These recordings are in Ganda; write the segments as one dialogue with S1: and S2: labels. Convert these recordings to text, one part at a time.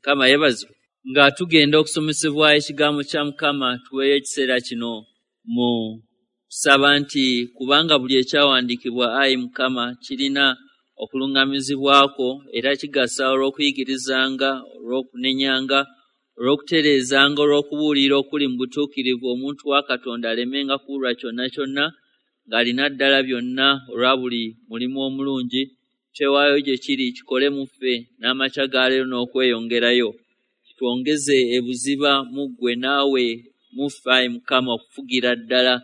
S1: Mukama yeebazibwe. Nga tugenda okusomesebwa ekigambo kya Mukama, tuweeyo ekiseera kino mu kusaba nti kubanga buli ekyawandiikibwa, ayi Mukama, kirina okuluŋŋamizibwako era kigasa olw'okuyigirizanga, olw'okunenyanga, olw'okutereezanga, olw'okubuulira okuli mu butuukirivu, omuntu wa Katonda alemenga kubulwa kyonna kyonna, ng'alina ddala byonna olwa buli mulimu omulungi. Twewaayo gye kiri kikole mu ffe n'amakya ga leero n'okweyongerayo. Kitwongeze ebuziba mu ggwe naawe mu ffe, ayi Mukama, okufugira ddala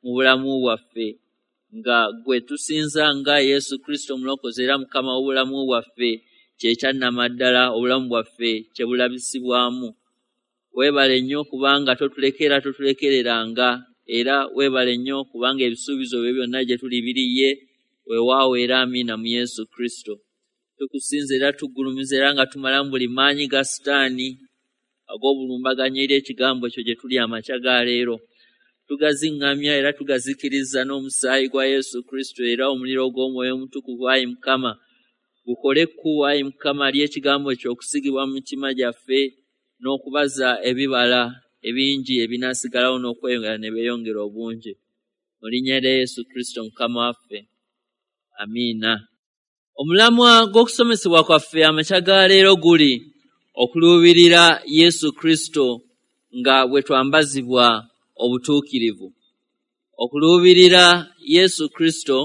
S1: mu bulamu bwaffe, nga ggwe tusinza nga Yesu Kristo Omulokozi era Mukama w'obulamu bwaffe, kye kyannamaddala obulamu bwaffe kye bulabisibwamu. Weebale nnyo kubanga totulekera, totulekereranga, era weebale nnyo kubanga ebisuubizo byo byonna gye tuli biri ye, weewaawo era amiina mu Yesu Kristo. Tukusinza era tugulumiza era nga tumalamu buli maanyi ga Sitaani ag'obulumbaganyi eri ekigambo kyo gye tuli amakya ga leero. Tugaziŋŋamya era tugazikiriza n'omusaayi gwa Yesu Kristo era omuliro gw'Omwoyo Omutukuvu, ayi Mukama, gukole ekkubo, ayi Mukama, ly'ekigambo kyo okusigibwa mu mitima gyaffe n'okubaza ebibala ebingi ebinaasigalawo n'okweyongera ne beeyongera obungi. Mu linnya lya Yesu Kristo Mukama waffe. Amiina. Omulamwa gw'okusomesebwa kwaffe amakya ga leero guli okuluubirira Yesu Kristo nga bwe twambazibwa obutuukirivu. Okuluubirira Yesu Kristo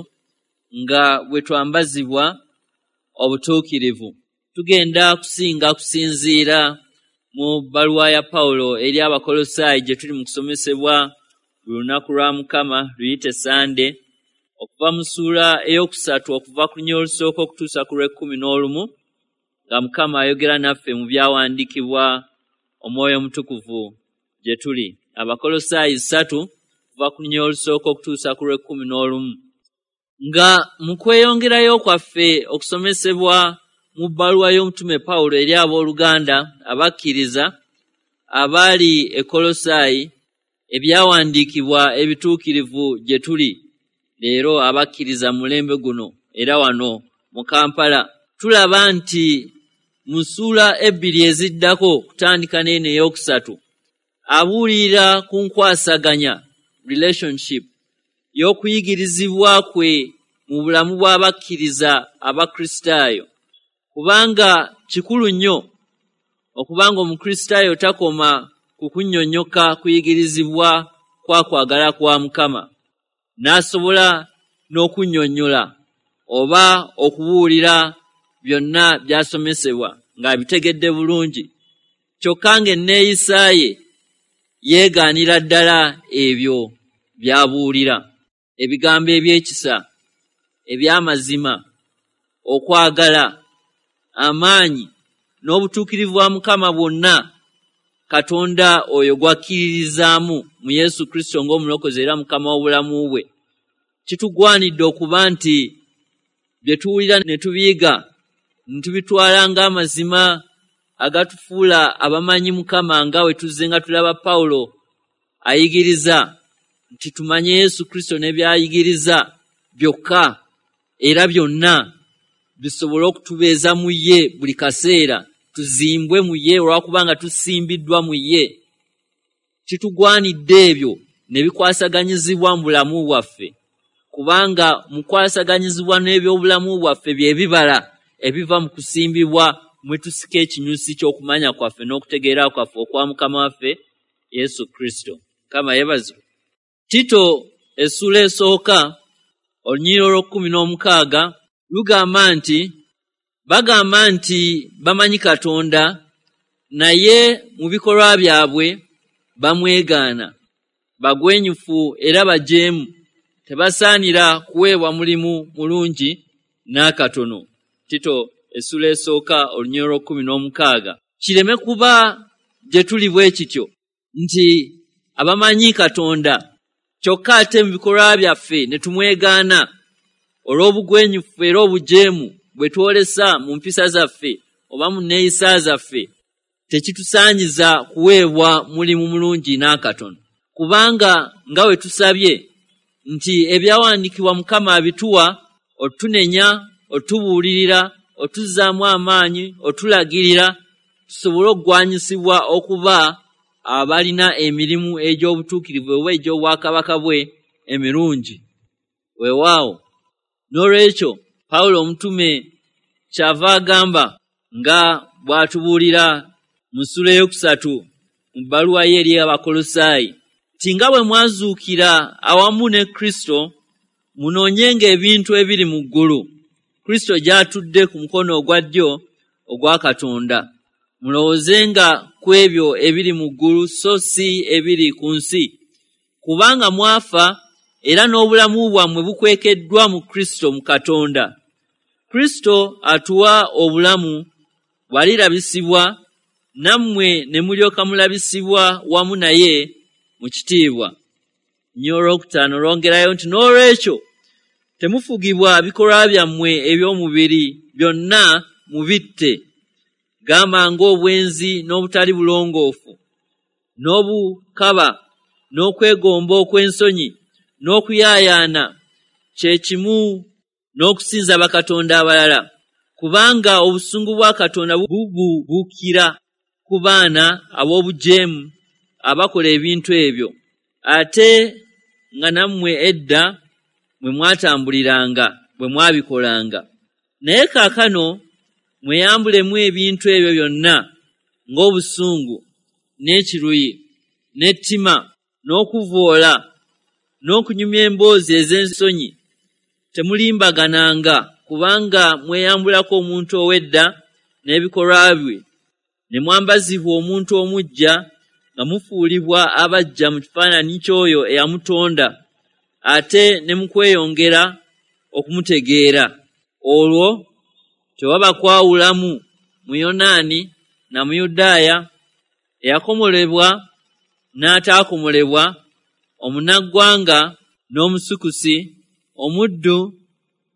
S1: nga bwe twambazibwa obutuukirivu. Tugenda kusinga kusinziira mu bbaluwa ya Pawulo eri Abakolosaayi gye tuli mu kusomesebwa buli lunaku lwa Mukama, luyite Sande, okuva mu ssuula 3 okuva ku lunyiriri olusooka okutuusa ku lw'e11, nga Mukama ayogera naffe mu byawandiikibwa Omwoyo Omutukuvu gye tuli. Abakolosaayi 3 okuva ku lunyiriri olusooka okutuusa ku lw'e11. Nga mu kweyongerayo kwaffe okusomesebwa mu bbaluwa y'omutume Pawulo eri abooluganda abakkiriza abaali e Kolosaayi, ebyawandiikibwa ebituukirivu gye tuli leero abakkiriza mu mulembe guno era wano mu Kampala, tulaba nti mu ssuula 2 eziddako kutandika n'eno 3, abuulirira ku nkwasaganya relationship y'okuyigirizibwa kwe mu bulamu bw'abakkiriza Abakristaayo. Kubanga kikulu nnyo okubanga Omukristaayo takoma ku kunnyonnyoka kuyigirizibwa kwa kwagala kwa Mukama, n'asobola n'okunnyonnyola oba okubuulira byonna by'asomesebwa ng'abitegedde bulungi, kyokka ng'enneeyisa ye yeegaanira ddala ebyo by'abuulira. Ebigambo eby'ekisa, eby'amazima, okwagala, amaanyi n'obutuukirivu bwa Mukama bwonna Katonda oyo gw'akkiririzaamu mu Yesu Kristo ng'Omulokozi era Mukama w'obulamu bwe. Kitugwanidde okuba nti bye tuwulira ne tubiyiga ne tubitwala ng'amazima agatufuula abamanyi Mukama, nga we tuzze nga tulaba Pawulo ayigiriza nti tumanye Yesu Kristo ne by'ayigiriza byokka era byonna bisobole okutubeeza mu ye buli kaseera, tuzimbwe mu ye olw'okubanga tusimbiddwa mu ye. Kitugwanidde ebyo ne bikwasaganyizibwa mu bulamu bwaffe, kubanga mu kukwasaganyizibwa n'ebyobulamu bwaffe bye bibala ebiva mu kusimbibwa mwe tusika ekinyusi ky'okumanya kwaffe n'okutegeera kwaffe okwa Mukama waffe Yesu Kristo. Mukama yeebazibwe. Tito essuula 1 olunyiriri olw'e16 lugamba nti bagamba nti bamanyi Katonda, naye mu bikolwa byabwe bamwegaana, bagwenyufu era bajeemu, tebasaanira kuweebwa mulimu mulungi n'akatono. Tito essuula 1 olunyiriri olw'e16. Kireme kuba gye tuli bwe kityo nti abamanyi Katonda kyokka ate mu bikolwa byaffe ne tumwegaana olw'obugwenyufu era obujeemu bwe twolesa mu mpisa zaffe oba mu nneeyisa zaffe, tekitusaanyiza kuweebwa mulimu mulungi n'akatono. Kubanga nga bwe tusabye nti ebyawandiikibwa Mukama abituwa otunenya, otubuulirira, otuzzaamu amaanyi, otulagirira, tusobole okugwanyisibwa okuba abalina emirimu egy'obutuukirivu oba egy'obwakabaka bwe emirungi. Weewaawo, n'olwekyo Pawulo omutume kyava agamba nga bw'atubuulira mu ssuula eyokusatu mu bbaluwa ye eri Abakolosaayi nti nga bwe mwazuukira awamu ne Kristo, munoonyenga ebintu ebiri mu ggulu, Kristo gy'atudde ku mukono ogwa ddyo ogwa Katonda. Mulowoozenga ku ebyo ebiri mu ggulu so si ebiri ku nsi, kubanga mwafa era n'obulamu bwammwe bukwekeddwa mu Kristo mu Katonda. Kristo atuwa obulamu bw'alirabisibwa, nammwe ne mulyoka mulabisibwa wamu naye mu kitiibwa. Nnyo olwokutaano lwongerayo nti n'olwekyo temufugibwa bikolwa byammwe eby'omubiri byonna mubitte, gamba ng'obwenzi n'obutali bulongoofu n'obukaba n'okwegomba okw'ensonyi n'okuyaayaana, kye kimu n'okusinza bakatonda abalala, kubanga obusungu bwa Katonda bubuubukira ku baana ab'obujeemu abakola ebintu ebyo, ate nga nammwe edda mwe mwatambuliranga bwe mwabikolanga. Naye kaakano mweyambulemu ebintu ebyo byonna ng'obusungu n'ekiruyi n'ettima n'okuvvoola n'okunyumya emboozi ez'ensonyi. Temulimbagananga, kubanga mweyambulako omuntu ow'edda n'ebikolwa bye, ne mwambazibwa omuntu omuggya nga mufuulibwa abaggya mu kifaananyi ky'oyo eyamutonda, ate ne mu kweyongera okumutegeera. Olwo tewaba kwawulamu Muyonaani na Muyudaaya, eyakomolebwa n'ataakomolebwa, omunnaggwanga n'Omusukusi, omuddu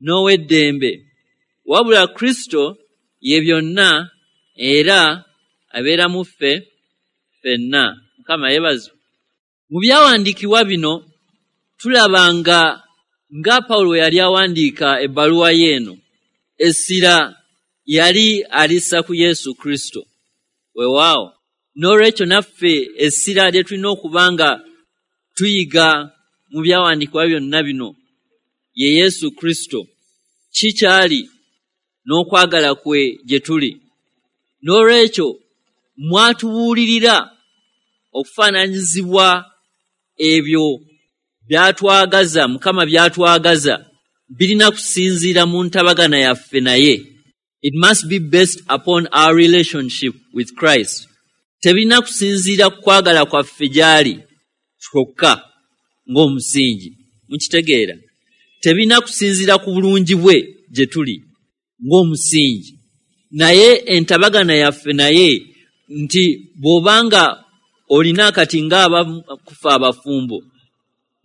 S1: n'ow'eddembe, wabula Kristo ye byonna era abeera mu ffe ffenna. Mukama yeebazibwe. Mu byawandiikibwa bino tulaba nga nga Pawulo bwe yali awandiika ebbaluwa ye eno, essira yali alissa ku Yesu Kristo. Weewaawo, n'olwekyo naffe essira lye tulina okuba nga tuyiga mu byawandiikibwa byonna bino ye Yesu Kristo, ki ky'ali n'okwagala kwe gye tuli. N'olwekyo mwatubuulirira okufaananyizibwa ebyo by'atwagaza, Mukama by'atwagaza birina kusinziira mu ntabagana yaffe naye. It must be based upon our relationship with Christ. Tebirina kusinziira ku kwagala kwaffe gy'ali kyokka ng'omusingi. Mukitegeera? Tebirina kusinziira ku bulungi bwe gye tuli ng'omusingi, naye entabagana yaffe naye, nti bw'obanga olina kati ng'abakufa abafumbo,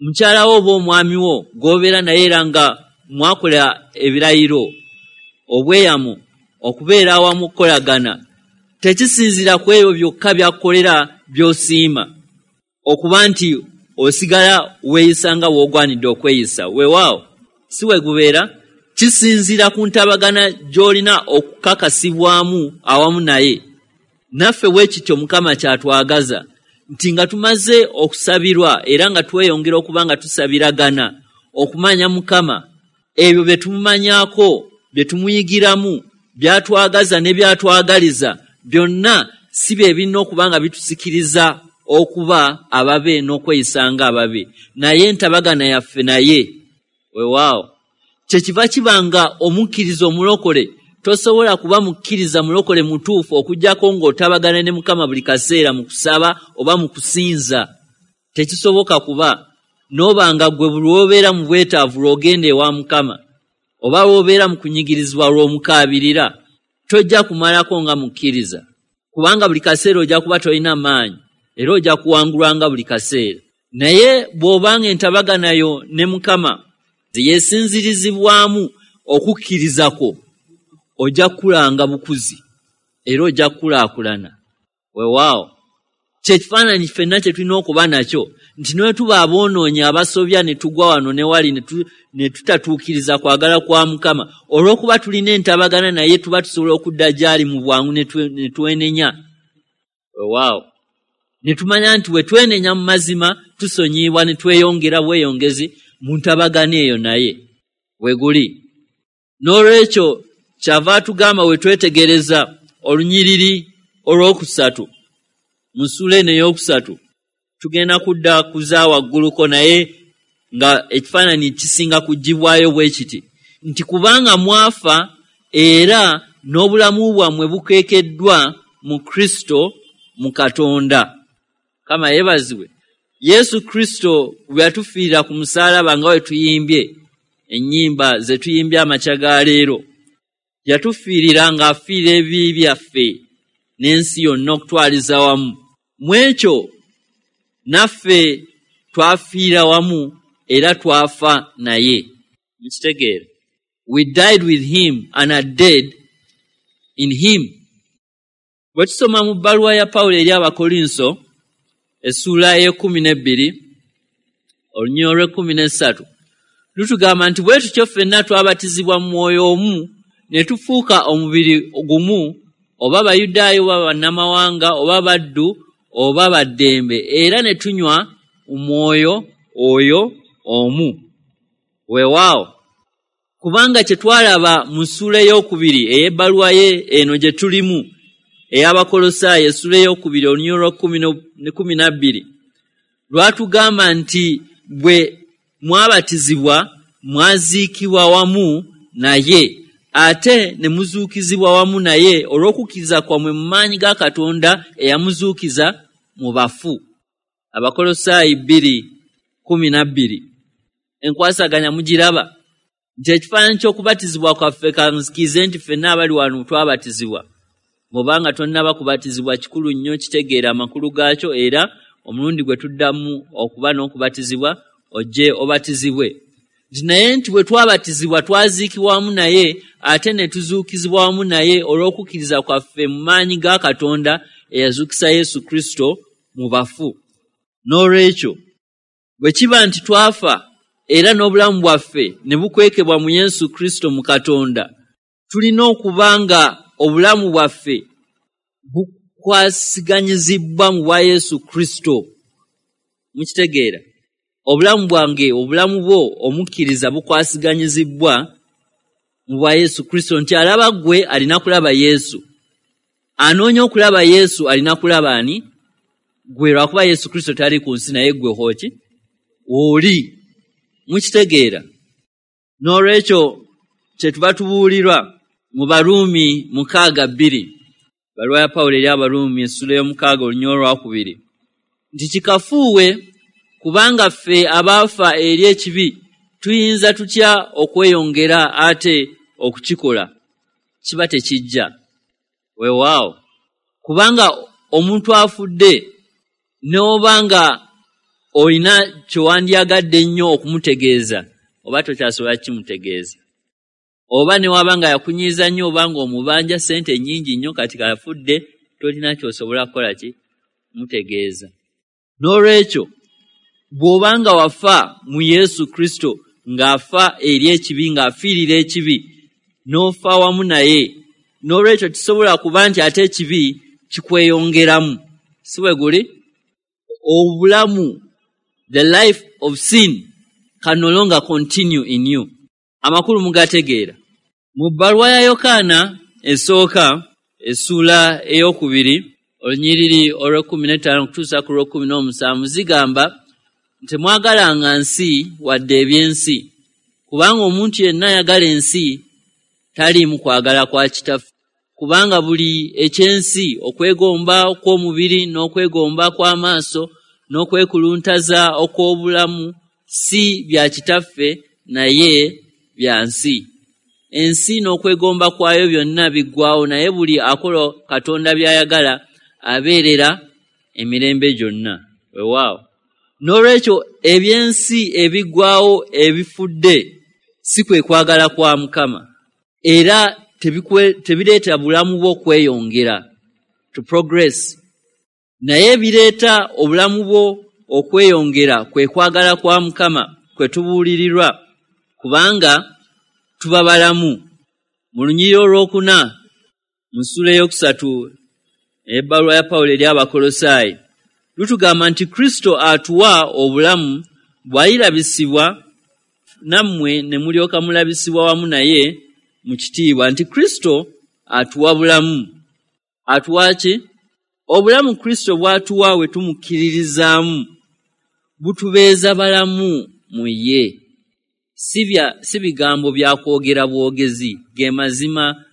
S1: mukyala wo oba omwami wo gw'obeera naye era nga mwakola ebirayiro obweyamu okubeera awamu okukolagana, tekisinziira ku ebyo byokka by'akukolera by'osiima okuba nti osigala weeyisa nga w'ogwanidde okweyisa. Weewaawo, si we gubeera, kisinziira ku ntabagana gy'olina okukakasibwamu awamu naye. Naffe bwe kityo Mukama ky'atwagaza, nti nga tumaze okusabirwa era nga tweyongera okuba nga tusabiragana okumanya Mukama, ebyo bye tumumanyaako, bye tumuyigiramu, by'atwagaza ne by'atwagaliza byonna si bye birina okuba nga bitusikiriza okuba ababe n'okweyisa ng'ababe, naye entabagana yaffe naye. Weewaawo, kyekiva kiba nga omukkiriza omulokole tosobola kuba mukkiriza mulokole mutuufu okuggyako ng'otabagana ne Mukama buli kaseera mu kusaba oba mu kusinza. Tekisoboka kuba n'oba nga ggwe buli lw'obeera mu bwetaavu lw'ogenda ewa Mukama, oba lw'obeera mu kunyigirizibwa lw'omukaabirira, tojja kumalako nga mukkiriza, kubanga buli kaseera ojja kuba tolina maanyi era ojja kuwangulwanga buli kaseera. Naye bw'obanga entabagana yo ne Mukama yeesinzirizibwamu okukkiriza kwo, ojja kukulanga bukuzi era ojja kukulaakulana. Weewaawo, Kyekifaananyi ffenna kye tulina okuba nakyo nti ne tuba aboonoonyi abasobya ne tugwa wano ne wali ne tutatuukiriza kwagala kwa Mukama, olw'okuba tulina entabagana naye tuba tusobola okudda gy'ali mu bwangu ne twenenya. Weewaawo ne tumanya nti bwe twenenya mu mazima tusonyiyibwa ne tweyongera bweyongezi mu ntabagana eyo naye we guli. N'olwekyo kyava atugamba we twetegereza olunyiriri olwokusatu mu ssuula eno ey'okusatu, tugenda kudda kuza wagguluko naye nga ekifaananyi kisinga kuggyibwayo bwe kiti nti kubanga mwafa era n'obulamu bwammwe bukeekeddwa mu Kristo mu Katonda. Mukama yeebazibwe. Yesu Kristo bwe yatufiirira ku musaalaba nga bwe tuyimbye ennyimba ze tuyimbye amakya ga leero, yatufiirira ng'afiira ebibi byaffe n'ensi yonna okutwaliza wamu. Mu ekyo naffe twafiira wamu era twafa naye. Mukitegeera? We died with him and are dead in him. Bwe tusoma mu bbaluwa ya Pawulo eri Abakolinso essuula ey'e12 olunyiriri olw'e13 lutugamba nti bwe tutyo ffenna twabatizibwa mu mwoyo omu ne tufuuka omubiri gumu, oba Bayudaaya oba bannamawanga oba baddu oba baddembe, era ne tunywa omwoyo oyo omu. Weewaawo kubanga kye twalaba mu ssuula ey'okubiri ey'ebbaluwa ye eno gye tulimu ey'Abakolosaayi essuula ey'okubiri olunyiriri olw'e12 lwatugamba nti bwe mwabatizibwa mwaziikibwa wamu naye ate ne muzuukizibwa wamu naye olw'okukkiriza kwammwe mu maanyi ga Katonda eyamuzuukiza mu bafu. Abakolosaayi 2:12. Enkwasaganya mugiraba nti ekifaananyi ky'okubatizibwa kwaffe, kanzikirize nti ffenna abali wano twabatizibwa. Bw'obanga tonnaba kubatizibwa kikulu nnyo kitegeera amakulu gaakyo, era omulundi gwe tuddamu okuba n'okubatizibwa ojje obatizibwe. Nti naye nti bwe twabatizibwa twaziikibwa wamu naye ate ne tuzuukizibwa wamu naye olw'okukkiriza kwaffe mu maanyi ga Katonda eyazuukisa Yesu Kristo mu bafu. N'olwekyo bwe kiba nti twafa era n'obulamu bwaffe ne bukwekebwa mu Yesu Kristo mu Katonda, tulina okuba nga obulamu bwaffe bukwasiganyizibwa mu bwa Yesu Kristo. Mukitegeera? Obulamu bwange, obulamu bwo omukkiriza bukwasiganyizibwa mu bwa Yesu Kristo, nti alaba ggwe alina kulaba Yesu, anoonya okulaba Yesu alina kulaba ani? Ggwe, lwakuba Yesu Kristo tali ku nsi naye ggwe hooki oli. Mukitegeera? N'olwekyo kye tuba tubuulirwa mu Baruumi 6:2, bbaluwa ya Pawulo eri Abaruumi essuula y'omukaaga olunyiriri olwokubiri nti kikafuuwe kubanga ffe abaafa eri ekibi tuyinza tutya okweyongera ate okukikola? Kiba tekijja. Weewaawo kubanga omuntu afudde n'oba nga olina kye wandyagadde ennyo okumutegeeza oba tokyasobola kimutegeeza, oba ne waba nga yakunyiiza nnyo oba ng'omubanja ssente nnyingi nnyo kati kafudde tolina ky'osobola kukola ki mutegeeza. N'olwekyo bw'oba nga wafa mu Yesu Kristo ng'afa eri ekibi, ng'afiirira ekibi, n'ofa wamu naye, n'olwekyo kisobola kuba nti ate ekibi kikweyongeramu. Si bwe guli? Obulamu, the life of sin can no longer continue in you. Amakulu mugategeera. Mu bbaluwa ya Yokaana esooka essuula ey'okubiri olunyiriri olw'e15 okutuusa ku lw'e17 zigamba nti temwagalanga nsi wadde ebyensi, kubanga omuntu yenna ayagala ensi taliimu kwagala kwa Kitaffe. Kubanga buli ekyensi, okwegomba okw'omubiri n'okwegomba kw'amaaso n'okwekuluntaza okw'obulamu si bya Kitaffe naye bya nsi. Ensi n'okwegomba kwayo byonna biggwaawo, naye buli akola Katonda by'ayagala abeerera emirembe gyonna. Weewaawo. N'olwekyo ebyensi ebiggwaawo ebifudde si kwe kwagala kwa Mukama, era tebireeta bulamu bwo kweyongera, to progress. Naye ebireeta obulamu bwo okweyongera kwe kwagala kwa Mukama kwe tubuulirirwa, kubanga tuba balamu. Mu lunyiriri olwokuna mu ssuula eyokusatu ebbaluwa ya Pawulo eri Abakolosaayi lutugamba nti Kristo atuwa obulamu bw'alirabisibwa nammwe ne mulyoka mulabisibwa wamu naye mu kitiibwa. Nti Kristo atuwa bulamu. Atuwa ki? Obulamu Kristo bw'atuwa we tumukkiririzaamu butubeeza balamu mu ye. Si bigambo bya kwogera bwogezi, ge mazima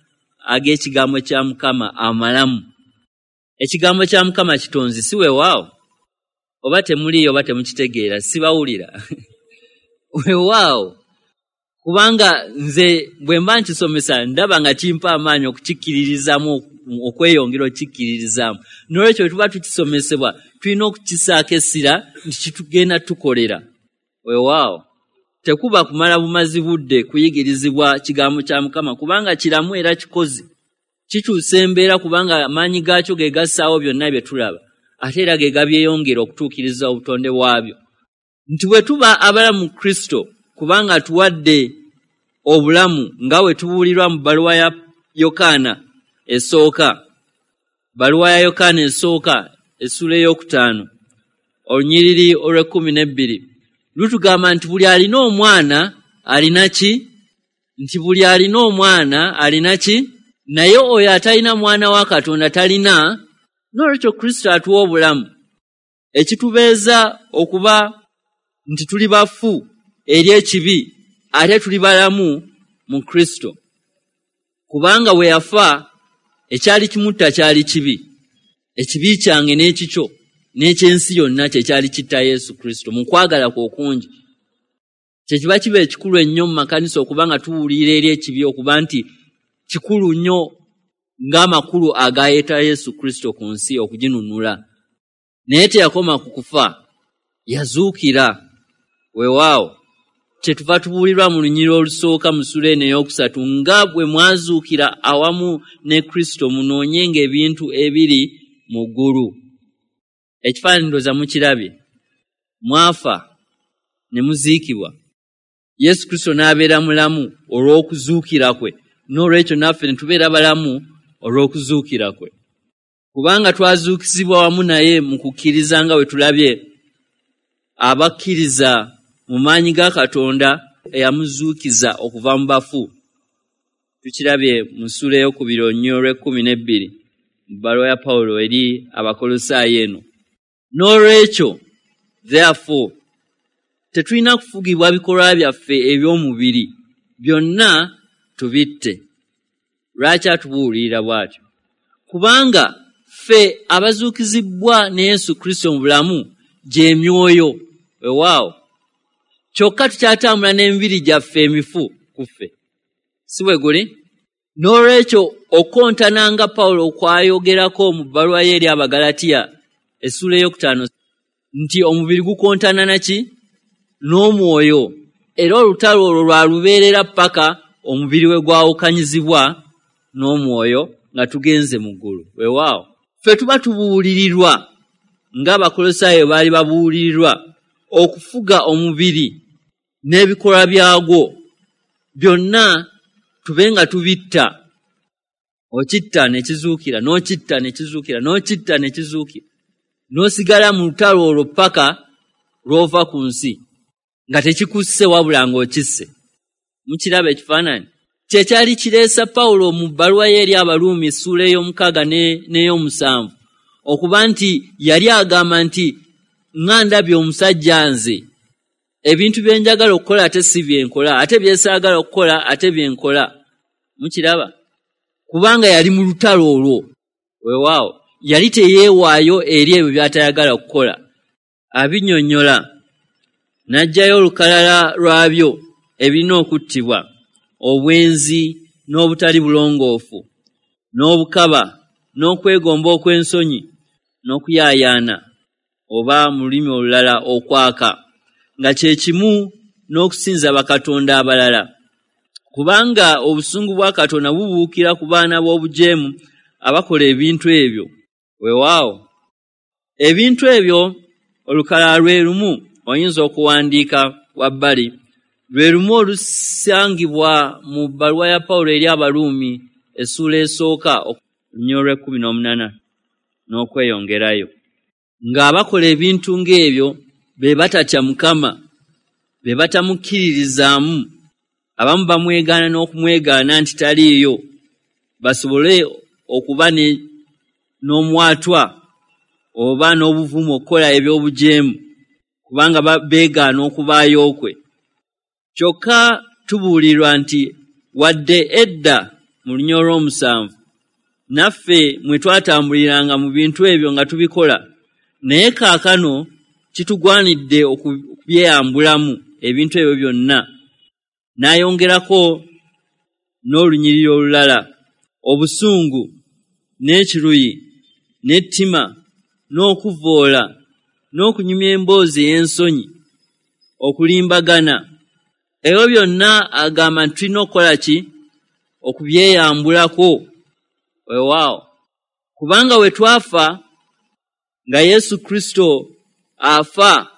S1: ag'ekigambo kya Mukama amalamu. Ekigambo kya Mukama kitonzi, si weewaawo? Oba temuliiyo oba temukitegeera, sibawulira. Weewaawo, kubanga nze bwe mba nkisomesa ndaba nga kimpa amaanyi okukikkiririzaamu, okweyongera okukikkiririzaamu. N'olwekyo bwe tuba tukisomesebwa tulina okukisaako essira nti kitugenda tukolera. Weewaawo, tekuba kumala bumazi budde kuyigirizibwa kigambo kya Mukama, kubanga kiramu era kikozi. Kikyusa embeera kubanga amaanyi gaakyo ge gassaawo byonna bye tulaba, ate era ge gabyeyongera okutuukiriza obutonde bwabyo. Nti bwe tuba abalamu mu Kristo, kubanga atuwadde obulamu nga bwe tubuulirwa mu bbaluwa ya Yokaana esooka. Bbaluwa ya Yokaana esooka essuula 5 olunyiriri olw'e12 lutugamba nti buli alina omwana alina ki? Nti buli alina omwana alina ki? Naye oyo atalina mwana wa Katonda talina. N'olwekyo Kristo atuwa obulamu, ekitubeeza okuba nti tuli bafu eri ekibi ate tuli balamu mu Kristo. Kubanga bwe yafa ekyali kimutta kyali kibi, ekibi kyange n'ekikyo n'ekyensi yonna kye kyali kitta Yesu Kristo mu kwagala kwe okungi. Kye kiba kiba ekikulu ennyo mu makanisa okuba nga tuwulira eri ekibi, okuba nti kikulu nnyo ng'amakulu agayeta Yesu Kristo ku nsi okuginunula. Naye teyakoma ku kufa, yazuukira. Weewaawo, kyetuva tubuulirwa mu lunyiriri olusooka mu ssuula eno 3, nga bwe mwazuukira awamu ne Kristo munoonyenga ebintu ebiri mu ggulu. Ekifaananyi ndowooza mukirabye. Mwafa ne muziikibwa, Yesu Kristo n'abeera mulamu olw'okuzuukira kwe. N'olwekyo naffe ne tubeera balamu olw'okuzuukira kwe, kubanga twazuukizibwa wamu naye mu kukkiriza nga bwe tulabye abakkiriza mu maanyi ga Katonda eyamuzuukiza okuva mu bafu. Tukirabye mu ssuula 2 olw'e12 mu bbaluwa ya Pawulo eri Abakolosaayi eno. N'olwekyo therefore tetulina kufugibwa bikolwa byaffe eby'omubiri, byonna tubitte. Lwaki atubuulirira bw'atyo? Kubanga ffe abazuukizibwa ne Yesu Kristo mu bulamu gy'emyoyo. Weewaawo, kyokka tukyatambula n'emibiri gyaffe emifu ku ffe, si bwe guli? N'olwekyo okontana nga Pawulo kwayogerako mu bbaluwa ye eri Abagalatiya essuula 5 nti omubiri gukontana naki? N'omwoyo. Era olutalo olwo lwalubeerera paka omubiri we gwawukanyizibwa n'omwoyo nga tugenze mu ggulu. Weewaawo, ffe tuba tubuulirirwa ng'Abakolosaayo baali babuulirirwa okufuga omubiri n'ebikolwa byagwo byonna tube nga tubitta. Okitta ne kizuukira, n'okitta ne kizuukira, n'okitta ne kizuukira, n'osigala mu lutalo olwo paka lw'ova ku nsi nga tekikusse wabula ng'okisse. Mukiraba ekifaananyi? Kye kyali kireesa Pawulo mu bbaluwa ye eri Abaruumi essuula 6 n'ey'omusanvu okuba nti yali agamba nti nga ndabye omusajja nze, ebintu bye njagala okukola ate si bye nkola, ate bye saagala okukola ate bye nkola. Mukiraba? Kubanga yali mu lutalo olwo. Weewaawo, yali teyeewaayo eri ebyo by'atayagala kukola. Abinnyonnyola n'aggyayo olukalala lwabyo ebirina okuttibwa: obwenzi n'obutali bulongoofu, n'obukaba, n'okwegomba okw'ensonyi, n'okuyaayaana, oba mu lulimi olulala okwaka, nga kye kimu n'okusinza bakatonda abalala. Kubanga obusungu bwa Katonda bubuukira ku baana b'obujeemu abakola ebintu ebyo. Weewaawo, Ebintu ebyo olukalala lwe lumu oyinza okuwandiika wabbali, lwe lumu olusangibwa mu bbaluwa ya Pawulo eri Abaruumi essuula esooka olunyiriri olw'e18 n'okweyongerayo. Ng'abakola ebintu ng'ebyo be batatya Mukama, be batamukkiririzaamu, abamu bamwegaana n'okumwegaana nti taliiyo, basobole okuba n'omwatwa oba n'obuvumu okukola eby'obujeemu, kubanga beegaana okubaayo kwe. Kyokka tubuulirwa nti wadde edda mu lunyiriri olw'omusanvu naffe mwe twatambuliranga mu bintu ebyo nga tubikola, naye kaakano kitugwanidde okubyeyambulamu ebintu ebyo byonna. N'ayongerako n'olunyiriri olulala, obusungu n'ekiruyi n'ettima n'okuvvoola n'okunyumya emboozi ey'ensonyi, okulimbagana. Ebyo byonna agamba nti tulina okukola ki? Okubyeyambulako. Weewaawo, kubanga we twafa nga Yesu Kristo afa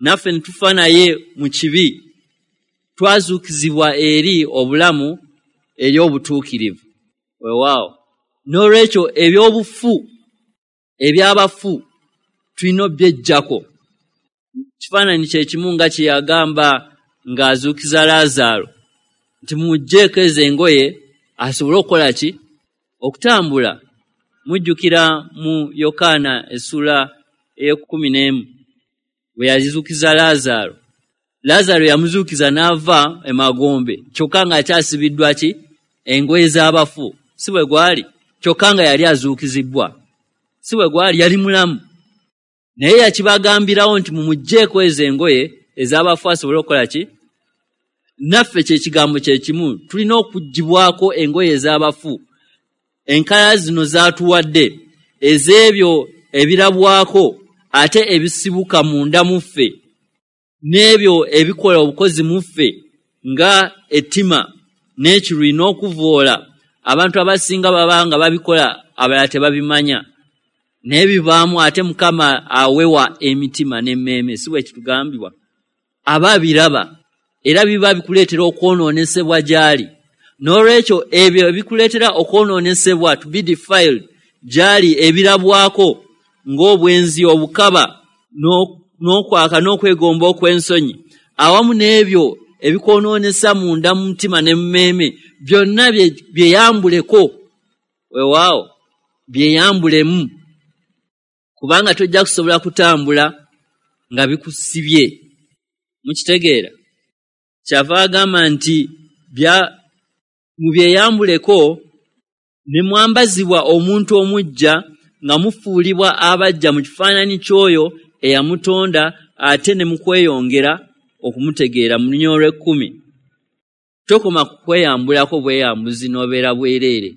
S1: naffe ne tufa naye mu kibi, twazuukizibwa eri obulamu eri obutuukirivu. Weewaawo, n'olwekyo ebyobufu ebyabafu tulina obyeggyako. Kifaananyi kye kimu nga kye yagamba ng'azuukiza Laazaalo nti mumuggyeeko ezo engoye asobole okukola ki? Okutambula. Mujjukira mu Yokaana essuula ey'e11 bwe yazuukiza Laazaalo. Laazaalo yamuzuukiza n'ava emagombe kyokka ng'akyasibiddwa ki? Engoye z'abafu. Si bwe gwali? Kyokka nga yali azuukizibbwa. Si bwe gwali? Yali mulamu. Naye yakibagambirawo nti mumuggyeeko ezo engoye ez'abafu asobole okukola ki? Naffe kye kigambo kye kimu, tulina okuggyibwako engoye ez'abafu. Enkalala zino zaatuwadde ez'ebyo ebirabwako ate ebisibuka munda mu ffe, n'ebyo ebikola obukozi mu ffe nga ettima n'ekiruyi n'okuvvoola. Abantu abasinga baba nga babikola abalala tebabimanya, naye bivaamu ate Mukama awewa emitima n'emmeeme, si bwe kitugambibwa? Aba abiraba era biba bikuleetera okwonoonesebwa gy'ali. N'olwekyo ebyo ebikuleetera okwonoonesebwa, to be defiled, gy'ali ebirabwako ng'obwenzi, obukaba, n'okwaka n'okwegomba okw'ensonyi, awamu n'ebyo ebikwonoonesa munda mu mutima ne mu mmeeme, byonna byeyambuleko. Weewaawo, byeyambulemu, kubanga tojja kusobola kutambula nga bikusibye. Mukitegeera? Kyava agamba nti mubyeyambuleko ne mwambazibwa omuntu omuggya nga mufuulibwa abaggya mu kifaananyi ky'oyo eyamutonda ate ne mu kweyongera okumutegeera. Mu lunyiriri olw'e10, tokoma ku kweyambulako bweyambuzi n'obeera bwereere,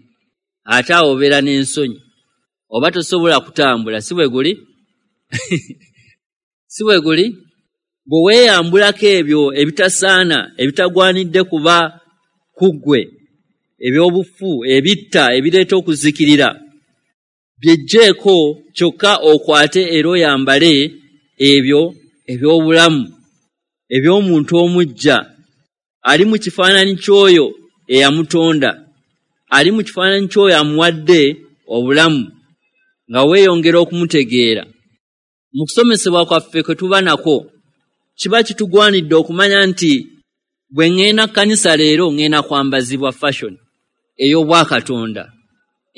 S1: ate awo obeera n'ensonyi oba tosobola kutambula. Si bwe guli? Si bwe guli? Bwe weeyambulako ebyo ebitasaana, ebitagwanidde kuba ku ggwe, eby'obufu, ebitta, ebireeta okuzikirira, byeggyeko kyokka okwate era oyambale ebyo eby'obulamu eby'omuntu omuggya ali mu kifaananyi ky'oyo eyamutonda, ali mu kifaananyi ky'oyo amuwadde obulamu, nga weeyongera okumutegeera. Mu kusomesebwa kwaffe kwe tuba nakwo, kiba kitugwanidde okumanya nti bwe ŋŋenda kkanisa leero ŋŋenda kwambazibwa fashion ey'obwakatonda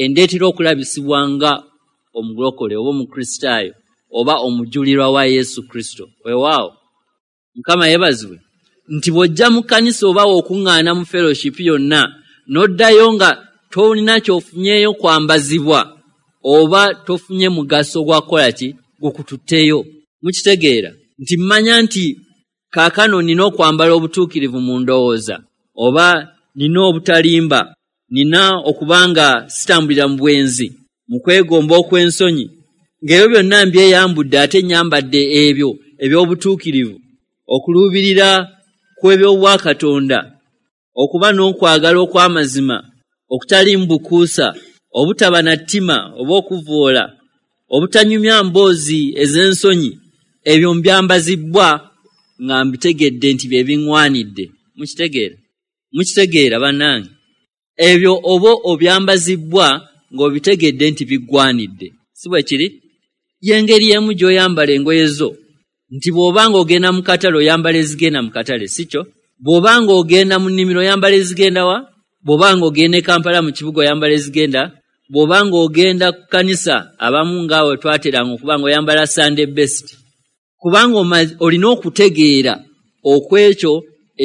S1: endeetera okulabisibwa nga omulokole oba omukristaayo oba omujulirwa wa Yesu Kristo. Weewaawo, Mukama yeebazibwe nti bw'ojja mu kkanisa oba okuŋŋaana mu fellowship yonna n'oddayo nga tolina ky'ofunyeeyo kwambazibwa oba tofunye mugaso gwa kukola ki gukututteyo. Mukitegeera nti mmanya nti kaakano nina okwambala obutuukirivu mu ndowooza, oba nina obutalimba, nina okuba nga sitambulira mu bwenzi, mu kwegomba okw'ensonyi, ng'ebyo byonna mbyeyambudde ate nnyambadde ebyo eby'obutuukirivu, okuluubirira kw'eby'obwakatonda, okuba n'okwagala okw'amazima okutaliimu bukuusa, obutaba na ttima oba okuvvoola, Obutanyumya mboozi ez'ensonyi, ebyo mbyambazibbwa nga mbitegedde nti bye biŋŋwanidde. Mukitegeera? Mukitegeera bannange? Ebyo oba obyambazibbwa ng'obitegedde nti biggwanidde. Si bwe kiri? Y'engeri emu gy'oyambala engoye zo, nti bw'oba ng'ogenda mu katale oyambala ezigenda mu katale, si kyo? Bw'oba ng'ogenda mu nnimiro oyambala ezigenda wa? Bw'oba ng'ogenda e Kampala mu kibuga oyambala ezigenda? Bw'oba ng'ogenda ku kkanisa, abamu ngaawe twateranga okuba ng'oyambala Sunday best. Kubanga olina okutegeera okw'ekyo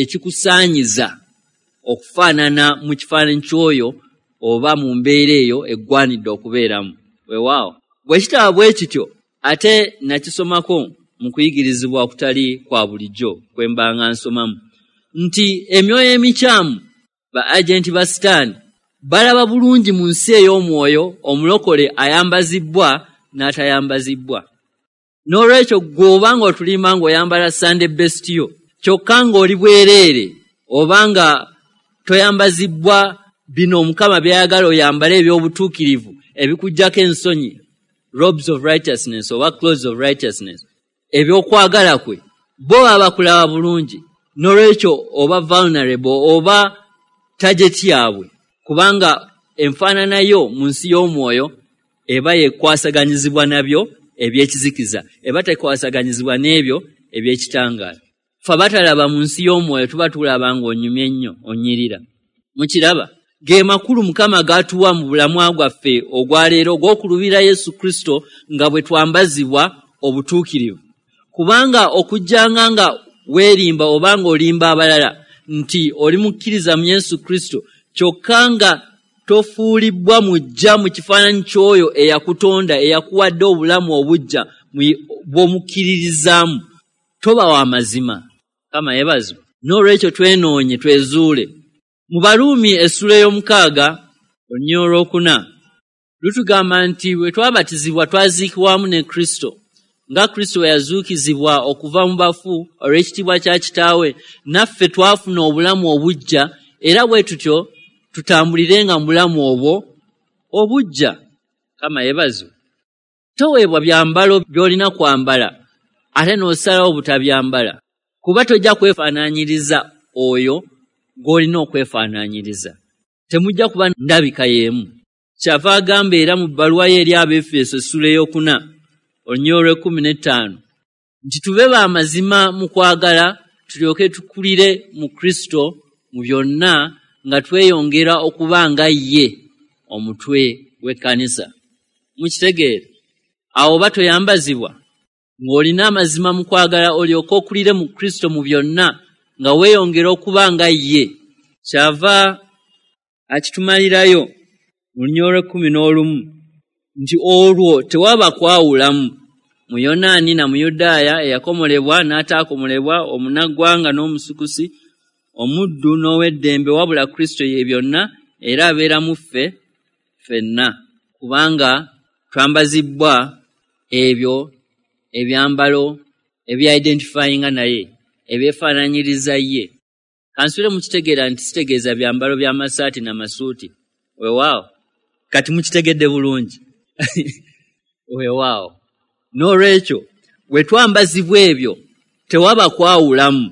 S1: ekikusaanyiza okufaanana mu kifaananyi ky'oyo oba mu mbeera eyo eggwanidde okubeeramu. Weewaawo. Bwe kitaba bwe kityo, ate nakisomako mu kuyigirizibwa okutali kwa bulijjo kwe mbanga nsomamu, nti emyoyo emikyamu, ba agenti ba Sitaani, balaba bulungi mu nsi ey'omwoyo omulokole ayambazibbwa n'atayambazibbwa. N'olwekyo ggwe oba ng'otulimba ng'oyambala Sunday best yo, kyokka ng'oli bwereere oba nga toyambazibbwa bino Omukama by'ayagala oyambale eby'obutuukirivu ebikuggyako ensonyi, robes of righteousness oba clothes of righteousness, eby'okwagala kwe, bo baba bakulaba bulungi. N'olwekyo oba vulnerable oba target yaabwe, kubanga enfaanana yo mu nsi y'omwoyo eba yekwasaganyizibwa nabyo eby'ekizikiza, eba tekwasaganyizibwa n'ebyo eby'ekitangaala. Ffe abatalaba mu nsi y'omwoyo tuba tulaba ng'onyumye nnyo, onyirira. Mukiraba? Ge makulu Mukama g'atuwa mu bulamu bwaffe ogwaleero ogw'okulubira Yesu Kristo nga bwe twambazibwa obutuukirivu. Kubanga okujjanga nga weerimba oba ng'olimba abalala nti oli mukkiriza mu Yesu Kristo, kyokka nga tofuulibbwa mujja mu kifaananyi ky'oyo eyakutonda, eyakuwadde obulamu obuggya bw'omukkiririzaamu, toba wa mazima. Mukama yeebazibwe. N'olwekyo twenoonye, twezuule. Mu Baruumi essula ey'omukaaga olunyiriri olwokuna lutugamba nti bwe twabatizibwa twaziikibwamu ne Kristo, nga Kristo bwe yazuukizibwa okuva mu bafu olw'ekitiibwa kya Kitaawe, naffe twafuna obulamu obuggya, era bwe tutyo tutambulirenga mu bulamu obwo obuggya. Mukama yeebazibwe. Toweebwa byambalo by'olina kwambala ate n'osalawo butabyambala, kuba tojja kwefaanaanyiriza oyo gw'olina okwefaanaanyiriza. Temujja kuba ndabika y'emu. Kyava agamba era mu bbaluwa ye eri Abaefeso essula ey'okuna olunyiriri olw'ekkumi n'ettaano nti tube ba mazima mu kwagala, tulyoke tukulire mu Kristo mu byonna nga tweyongera okuba nga ye omutwe w'ekkanisa. Mukitegeera? Awo oba toyambazibwa ng'olina amazima mu kwagala olyoke okulire mu Kristo mu byonna nga weeyongera okuba nga ye. Kyava akitumalirayo mu lunyiriri olw'ekkumi n'olumu nti olwo tewaba kwawulamu Muyonaani na Muyudaaya, eyakomolebwa n'ataakomolebwa, omunnaggwanga n'omusukusi, omuddu n'ow'eddembe, wabula Kristo ye byonna era abeera mu ffe ffenna, kubanga twambazibbwa ebyo ebyambalo ebyidentifyinga naye, ebyefaanaanyiriza ye. Kansubire mukitegeera nti sitegeeza byambalo by'amasaati n'amasuuti. Weewaawo. Kati mukitegedde bulungi. Weewaawo. N'olwekyo bwe twambazibwa ebyo tewaba kwawulamu,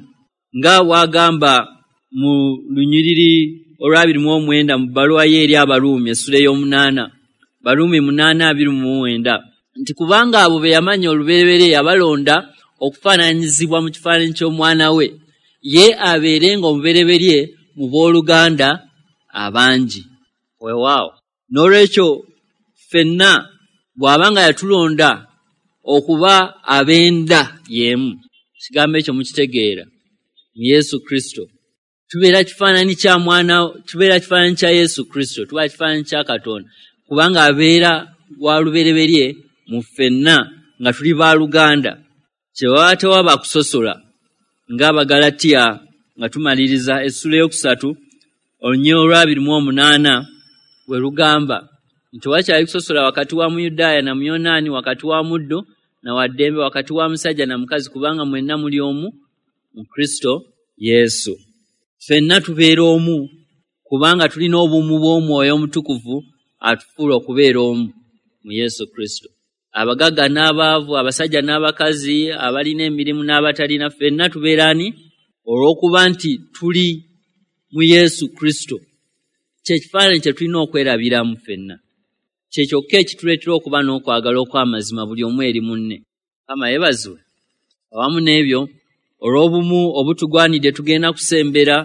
S1: nga bw'agamba mu lunyiriri olw'abiri mu omwenda mu bbaluwa ye eri Abaruumi essula ey'omunaana, Baruumi 8:29, nti kubanga abo be yamanya olubereberye yabalonda okufaananyizibwa mu kifaananyi ky'omwana we, ye abeerenga omubereberye mu booluganda abangi. Weewaawo. N'olwekyo ffenna bw'aba nga yatulonda okuba ab'enda y'emu, ekigambo ekyo mukitegeera, mu Yesu Kristo tubeera kifaananyi kya mwana, tubeera kifaananyi kya Yesu Kristo, tuba kifaananyi kya Katonda, kubanga abeera wa lubereberye mu ffenna nga tuli baaluganda. Kyewaba tewaba kusosola, ng'Abagalatiya nga tumaliriza essula ey'okusatu olunyiriri olw'abiri mu omunaana bwe lugamba nti tewakyali kusosola wakati wa Muyudaaya na Muyonaani, wakati wa muddu na wa ddembe, wakati wa musajja na mukazi, kubanga mwenna muli omu mu Kristo Yesu. Ffenna tubeera omu kubanga tulina obumu bw'Omwoyo Omutukuvu atufuula okubeera omu mu Yesu Kristo. Abagagga n'abaavu, abasajja n'abakazi, abalina emirimu n'abatalina, ffenna tubeera ani? Olw'okuba nti tuli mu Yesu Kristo. Kyekifaananyi kye tulina okwerabiramu ffenna. Kye kyokka ekituleetera okuba n'okwagala okw'amazima buli omu eri munne. Mukama yeebazibwe. Awamu n'ebyo, olw'obumu obutugwanidde tugenda kusembera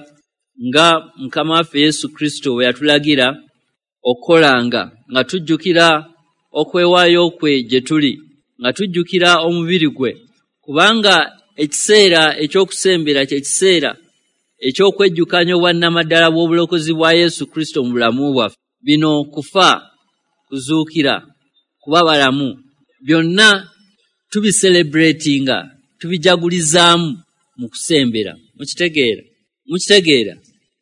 S1: nga Mukama waffe Yesu Kristo bwe yatulagira okukolanga, nga tujjukira okwewaayo kwe gye tuli, nga tujjukira omubiri gwe, kubanga ekiseera eky'okusembera kye kiseera eky'okwejjukanya obwannamaddala bw'obulokozi bwa Yesu Kristo mu bulamu bwaffe. Bino kufa, kuzuukira, kuba balamu, byonna tubicelebratinga, tubijagulizaamu mu kusembera. Mukitegeera? Mukitegeera?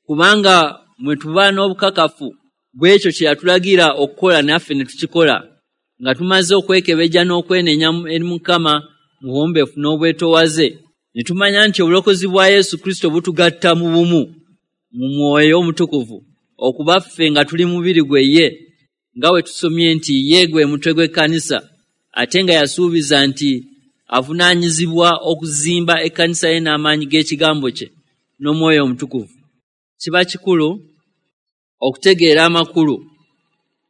S1: Kubanga mwe tuba n'obukakafu bw'ekyo kye yatulagira okukola naffe ne tukikola, nga tumaze okwekebejja n'okwenenya eri Mukama mu buwombeefu n'obwetoowaze, ne tumanya nti obulokozi bwa Yesu Kristo butugatta mu bumu mu mwoyo omutukuvu, okuba ffe nga tuli mubiri gwe ye, nga bwe tusomye nti ye gwe mutwe gw'ekkanisa, ate nga yasuubiza nti avunaanyizibwa okuzimba ekkanisa ye n'amaanyi g'ekigambo kye n'omwoyo omutukuvu. Kiba kikulu okutegeera amakulu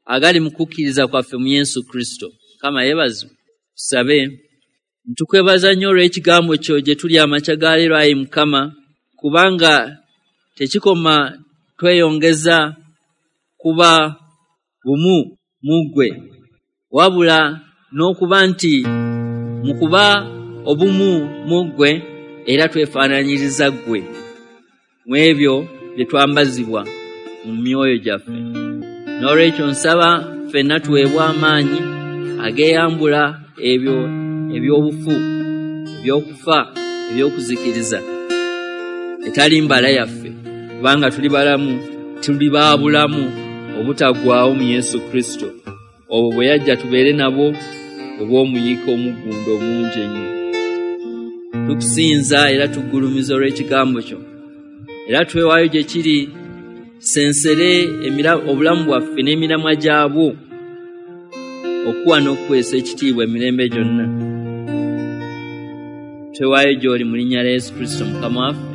S1: agali mu kukkiriza kwaffe mu Yesu Kristo. Mukama yeebazibwe. Tusabe. Ntukwebaza nnyo olw'ekigambo kyo gye tuli amakya ga leero, ayi Mukama, kubanga tekikoma tweyongeza kuba bumu mu ggwe, wabula n'okuba nti mu kuba obumu mu ggwe era twefaananyiriza ggwe mu ebyo bye twambazibwa mu myoyo gyaffe. N'olwekyo nsaba ffenna tuweebwe amaanyi ageeyambula ebyo eby'obufu, eby'okufa, eby'okuzikiriza, etali mbala yaffe, kubanga tuli balamu, tuli ba bulamu obutaggwaawo mu Yesu Kristo. Obwo bwe yajja tubeere nabwo obw'omuyiika omuggundo omungi ennyo. Tukusinza era tuggulumiza olw'ekigambo kyo, era twewaayo gye kiri sensere obulamu bwaffe n'emiramwa gyabwo okuwa n'okuweesa ekitiibwa emirembe gyonna. Twewaayo gy'oli mu linnya lya Yesu Kristo Mukama waffe.